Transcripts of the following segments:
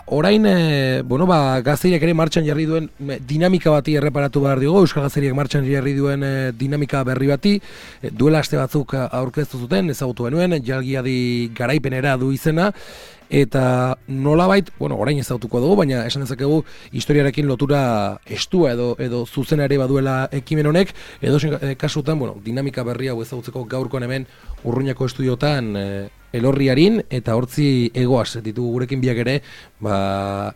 orain, Gazteriak ere martxan jarri duen dinamika bati erreparatu behar dugu, Euskal Gazteriak martxan jarri duen dinamika berri bati, duela aste batzuk aurkeztu zuten, ezagutu genuen, Jalgiadi garaipenera du izena, eta nolabait, orain ezagutuko dugu, baina esan dezakegu historiarekin lotura estua edo zuzena ere baduela ekimen honek, edo kasutan, dinamika berri hau ezagutzeko gaurkoan hemen Urruñako estudiotan Elorriarin eta hortzi egoaz ditugu gurekin biak ere,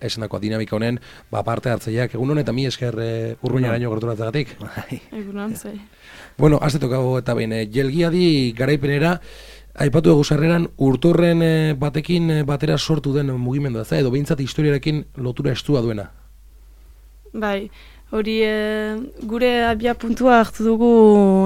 esandakoa dinamika honen parte hartzaileak egunon eta mi esker Urruñaraino gerturatzagatik. Egunon, zei. Aztetokago eta behin, Jalgiadi garaipenera, aipatu dugu sarreran urtorren batekin batera sortu den mugimendua, edo behintzat historiarekin lotura estua duena. Bai, hori gure abia puntua hartu dugu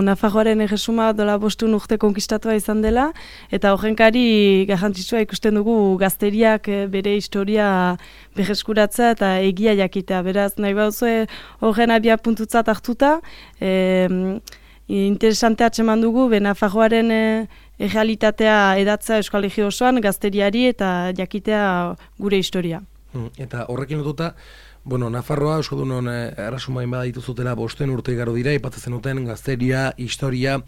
Nafarroaren erresuma dola 5 urte konkistatua izan dela, eta horrenkari garrantzitsua ikusten dugu Gazteriak bere historia berreskuratzea eta egia jakitea. Beraz, nahi bauzue horren abia puntutzat hartuta, interesantea atseman dugu, Nafarroaren errealitatea edatzea Euskal Herri osoan, Gazteriari eta jakitea gure historia. Eta horrekin lotuta, Nafarroa, Euskaldunon errasumain bada dituzutela 5 urte igaro dira, ipatzen duten Gazteria, historia.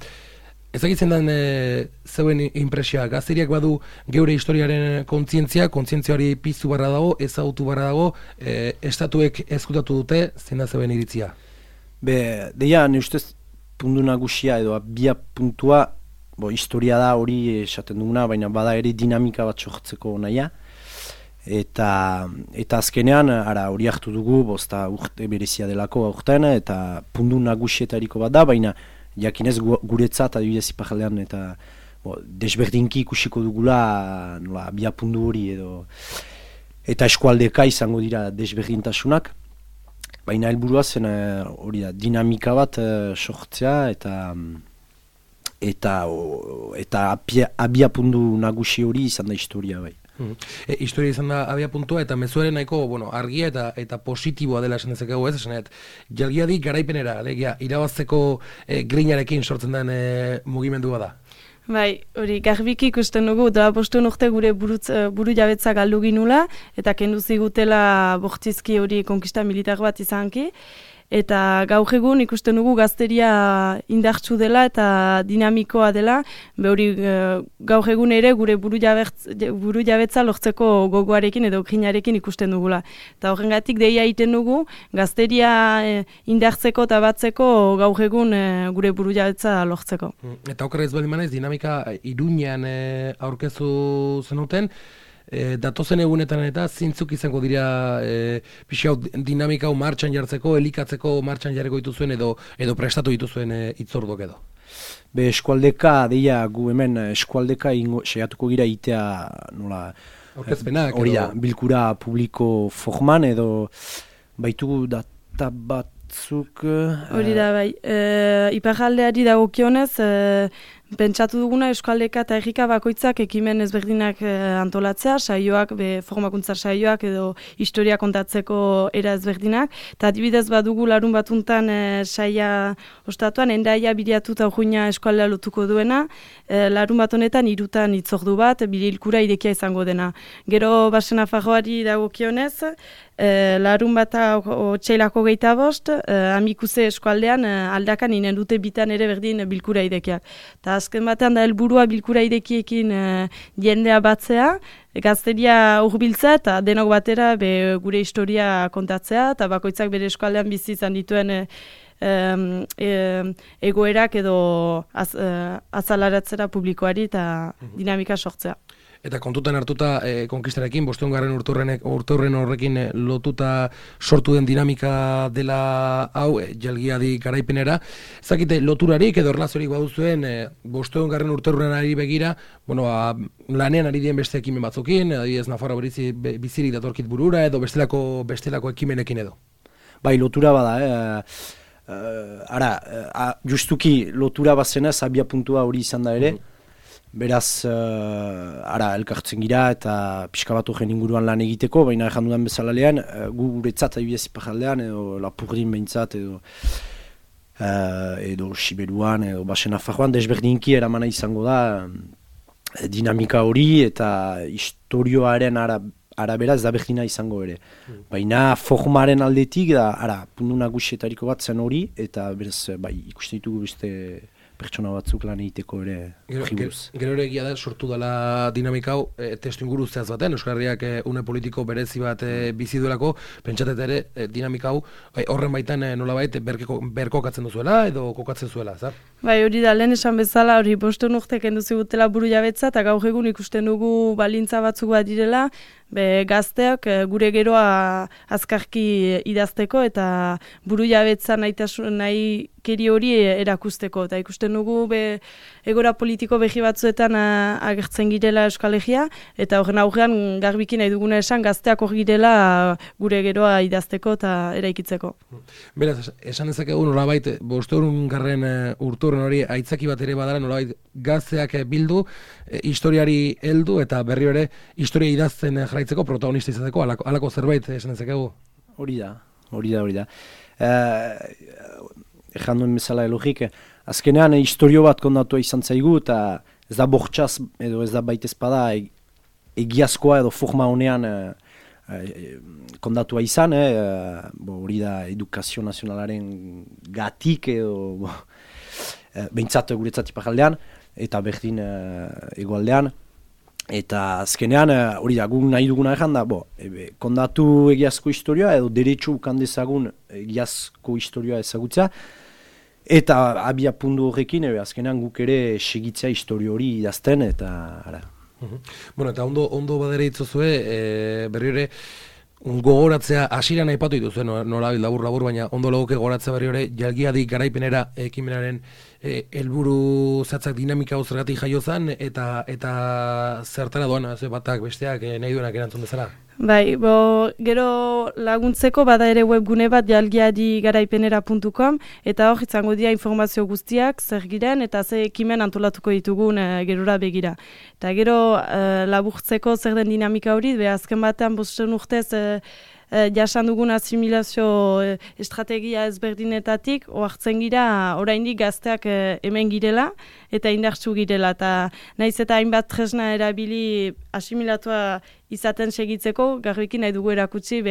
Ezagitzen den zeuen impresioa, Gazteriak badu geure historiaren kontzientzia hori piztu barra dago, ezagutu barra dago, estatuek ezkutatu dute, zein da zeuen iritzia? Deia, ne ustez puntu nagusia edo abia puntua, historia da hori esaten duguna, baina bada ere dinamika bat sortzeko naia. Eta azkenean, hori hartu dugu, bosta urte berezia delako aurten, eta puntu nagusietariko bat da, baina jakinez guretzat adibidez iparaldean, eta desberdinki ikusiko dugula abia puntu hori edo, eta eskualdeka izango dira desberdintasunak, baina helburua zen hori da, dinamika bat sortzea, eta abia puntu nagusi hori izan da historia bai. Historia izan da abia puntua eta mezuaren nahiko argia eta positiboa dela esan dezakegu ez, esanet Jalgiadi garaipenera, alegia, irabazteko grinarekin sortzen den mugimendua da. Bai, hori garbiki ikusten dugu, da 5 urte gure buru jabetza galdu ginula, eta kendu zigutela bortizki hori konkista militar bat izanki, eta gaur egun ikusten dugu Gazteria indartsu dela eta dinamikoa dela, hori gaur egun ere gure buru jabetza lortzeko gogoarekin edo grinarekin ikusten dugula. Eta horrengatik deia egiten dugu, Gazteria indartzeko eta batzeko gaur egun gure buru jabetza lortzeko. Eta okerrez baldin manez, dinamika Iruñean aurkezu zenuten, datozen egunetan eta zintzuk izango dira dinamika hau martxan jartzeko, elikatzeko martxan jarreko dituzuen edo prestatu dituzuen itzordok edo? Eskualdeka, deia gu hemen eskualdeka saiatuko gira itea nola aurkezpenak hori da, bilkura publiko forman edo baitugu data batzuk hori da bai, iparraldeari dagokionez pentsatu duguna Euskaldeka eta Errika bakoitzak ekimen ezberdinak antolatzea, saioak, formakuntza saioak edo historia kontatzeko era ezberdinak, eta adibidez badugu larun batuntan saia ostatuan, Hendaia Biriatu eta Urruña eskualdea lotuko duena, larun bat honetan 3 hitzordu bat, bilkura irekia izango dena. Gero Basen Nafarroari dagokionez, larun bat otsailako 25, Amikuze eskualdean aldakan inen dute bitan ere berdin bilkura irekiak. Eta azken batean da helburua bilkura irekiekin jendea batzea, Gazteria hurbiltzea eta denok batera gure historia kontatzea, eta bakoitzak bere eskualdean bizi izan dituen egoerak edo azalaratzera publikoari eta dinamika sortzea. Eta kontutan hartuta konkistarekin, 5. urturren horrekin lotuta sortu den dinamika dela hau, Jalgiadi garaipenera. Zakite, loturarik edo erlaziorik baduzuen 5. urturren ari begira, lanean ari dien beste ekimen batzukin, adibidez Nafarroa bizirik datorkit burura edo bestelako ekimenekin edo. Bai, lotura bada, justuki lotura bazenez, abia puntua hori izan da ere, beraz, elkartzen gira eta pixka bat horren inguruan lan egiteko, baina erran dudan bezalalean, guretzat adibidez iparraldean, edo Lapurdin behintzat, edo Siberuan, edo Basen Nafarroan, desberdinki eramana izango da dinamika hori eta historioaren arabera ez da berdina izango ere. Baina formaren aldetik da, puntu nagusietariko bat zen hori, eta beraz, bai, ikusten ditugu beste pertsona batzuk lan egiteko ere jibuz. Gero ere egia da, sortu dela dinamika hau, testu inguru zehaz baten, Euskal Herriak une politiko berezi bat bizi duelako, pentsatet ere dinamika hau horren baitan nolabait berkokatzen duzuela edo kokatzen zuela, zar? Bai, hori da, lehen esan bezala, hori 5 urte kendu zigutela buru jabetza, eta gaur egun ikusten dugu balintza batzuk bat direla, gazteak gure geroa azkarki idazteko eta buru jabetza nahi keri hori erakusteko. Eta ikusten dugu egora politiko behi batzuetan agertzen girela Euskal Herria, eta horren aurrean garbiki nahi duguna esan gazteak hor girela gure geroa idazteko eta eraikitzeko. Beraz, esan dezakegu nolabait, 500. urturren hori aitzaki bat ere badara nolabait gazteak bildu, historiari heldu eta berri ere historia idazten jarraitzeko protagonista izateko, halako zerbait esan dezakegu? Hori da. Ejan duen bezala elogik, azkenean historio bat kondatua izan zaigu, eta ez da bortxaz edo ez da baitezpada egiazkoa edo forma honean kondatua izan, hori da edukazio nazionalaren gatik edo behintzat guretzat iparaldean, eta berdin egoaldean. Eta azkenean, hori da, guk nahi duguna egan da, kondatu egiazko historioa edo derecho ukan dezagun egiazko historioa ezagutzea, eta abia puntu horrekin, azkenean guk ere segitzea historio hori idazten, eta ara. Bueno, eta ondo badere itzozue, berri ere, gogoratzea, hasieran aipatu dituzue, nola labur, baina ondo legoke gogoratzea berri ere, jalgiadik garaipenera ekimenaren helburu zatzak dinamika hau zergatik jaio zen, eta zertara doan, batak besteak nahi duenak erantzun bezala? Bai, gero laguntzeko bada ere webgune bat jalgiadigaraipenera.com, eta hor izango dira informazio guztiak zer giren eta ze ekimen antolatuko ditugun gerora begira. Eta gero laburtzeko zer den dinamika hori, azken batean 5 urtez jasan dugun asimilazio estrategia ezberdinetatik, ohartzen gira oraindik gazteak hemen girela eta indartsu girela. Eta naiz eta hainbat tresna erabili asimilatua izaten segitzeko, garbiki nahi dugu erakutsi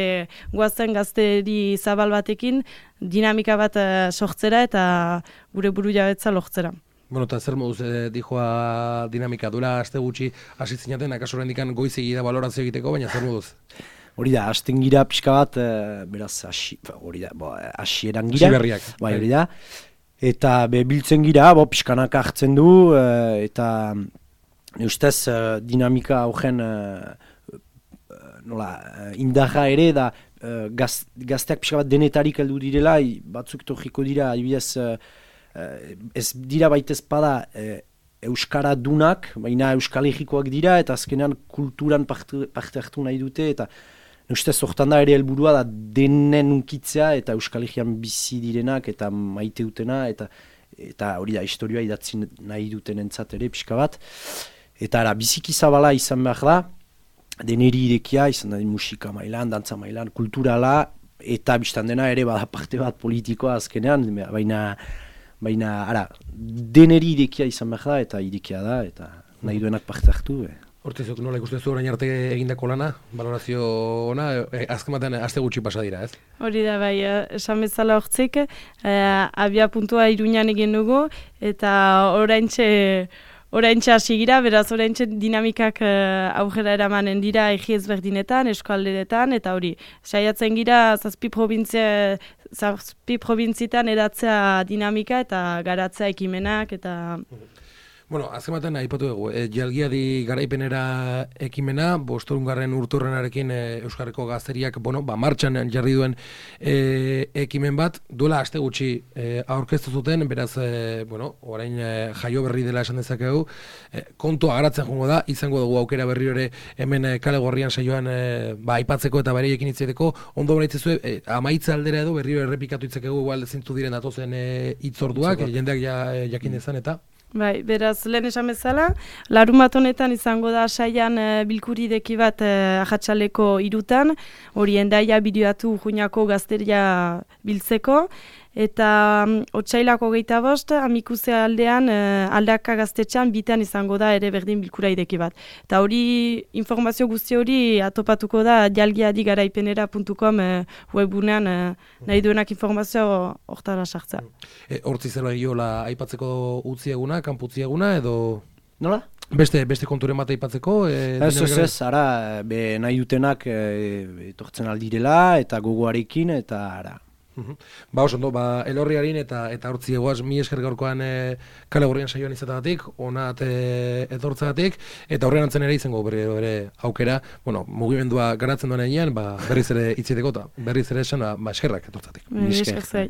goazen gazteri zabal batekin dinamika bat sortzera eta gure buru jabetza lortzera. Bueno, eta zer moduz dijoa dinamika duela aste gutxi hasi zinaten, akaso oraindik goizegi da balorazio egiteko, baina zer moduz? Hori da, hasten gira pixka bat, beraz, hori da, hasieran gira. Berriak. Bai, hori da. Eta biltzen gira, pixkanak hartzen du, eta ustez dinamika horren indarra ere, da gazteak pixka bat denetarik heldu direla, batzuk torriko dira, adibidez, ez dira baitez bada euskara dunak, baina euskal egikoak dira, eta azkenean kulturan parte hartu nahi dute, eta ustez hortan da ere helburua da denen unkitzea, eta euskal egian bizi direnak, eta maite dutena, eta hori da, historioa idatzi nahi duten entzat ere, pixka bat. Eta biziki zabala izan behar da, deneri irekia, izan da musika mailan, dantza mailan, kulturala, eta biztan dena ere bada parte bat politikoa azkenean, baina deneri irekia izan behar da, eta irekia da, eta nahi duenak parte hartu. Hortizok, nola ikustezu orain arte egindako lana, balorazio ona, azken batean aste gutxi pasa dira, ez? Hori da, bai, esan bezala hortzik, abia puntua Iruñan egin dugu, eta oraintxe hasi gira, beraz oraintxe dinamikak aurrera eramanen dira egi ezberdinetan, eskualderetan, eta hori, saiatzen gira 7 probintzitan edatzea dinamika eta garatzea ekimenak, eta... Bueno, azken batean aipatu dugu, jalgiadi garaipenera ekimena, 5. urturrenarekin Euskarriko gazteriak, martxan jarri duen ekimen bat, duela aste gutxi aurkeztu zuten, beraz, orain jaio berri dela esan dezakegu, kontua garatzen joango da, izango dugu aukera berri ere hemen Kale Gorrian saioan aipatzeko eta bereiekin hitzeteko, ondo beraitzezu, amaitza aldera edo berri errepikatu hitzakegu, igual zintzu diren datozen hitzorduak, jendeak jakin dezan eta... Bai, beraz, lehen esan bezala, larunbat honetan izango da saian bilkurideki bat Ajatxaleko 3, hori Hendaia bideoatu Juñako gazteria biltzeko, eta otsailako 25, Amikuze aldean, Aldaka gaztetxean bitan izango da ere berdin bilkura ideki bat. Eta hori, informazio guzti hori atopatuko da jalgiadigaraipenera.com webunean nahi duenak informazio hortara sartzea. Hortzi zela giola aipatzeko utzieguna, kanputzieguna, edo... Nola? Beste konturen bat aipatzeko? Ez, ara, nahi dutenak etortzen aldirela, eta gogoarekin, eta ara. Ba, oso, Elorriarin eta hortzi egoaz, mi esker gaurkoan Kale Gorrian saioan izatagatik, onat etortzagatik, eta horrean antzen ere izango bere aukera, mugimendua garatzen duen egin, berriz ere itziteko, eta berriz ere esan, eskerrak etortzatik. Esker zai.